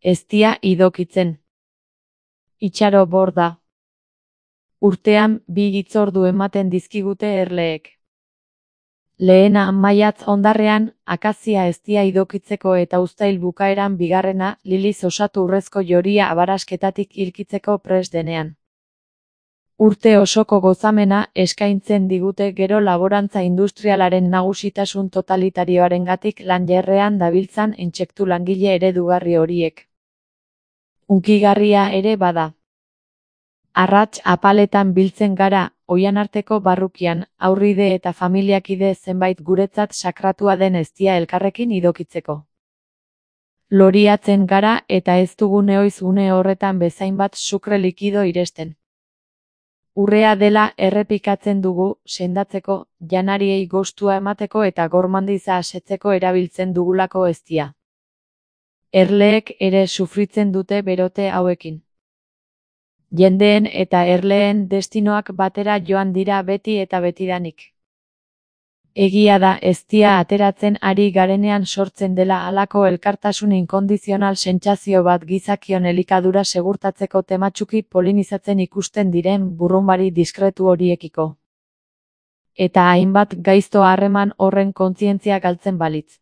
eztia idokitzen. Itxaro borda. Urtean 2 hitzordu ematen dizkigute erleek. Lehena maiatz hondarrean, akazia eztia idokitzeko eta uztail bukaeran bigarrena, liliz osatu urrezko joria abarasketatik hilkitzeko prest denean. Urte osoko gozamena eskaintzen digute gero laborantza industrialaren nagusitasun totalitarioarengatik lanjerrean dabiltzan intsektu langile eredugarri horiek. Hunkigarria ere bada. Arrats apaletan biltzen gara, oihanarteko barrukian, aurride eta familiakide zenbait guretzat sakratua den eztia elkarrekin idokitzeko. Loriatzen gara eta ez dugu nehoiz une horretan bezainbat sukre likido iresten. Urrea dela errepikatzen dugu, sendatzeko, janariei gostua emateko eta gormandiza asetzeko erabiltzen dugulako eztia. Erleek ere sufritzen dute berote hauekin. Jendeen eta erleen destinoak batera joan dira beti eta betidanik. Egia da eztia ateratzen ari garenean sortzen dela halako elkartasun inkondizional sentsazio bat gizakion elikadura segurtatzeko tematsuki polinizatzen ikusten diren burrunbari diskretu horiekiko. Eta hainbat gaizto harreman horren kontzientzia galtzen balitz.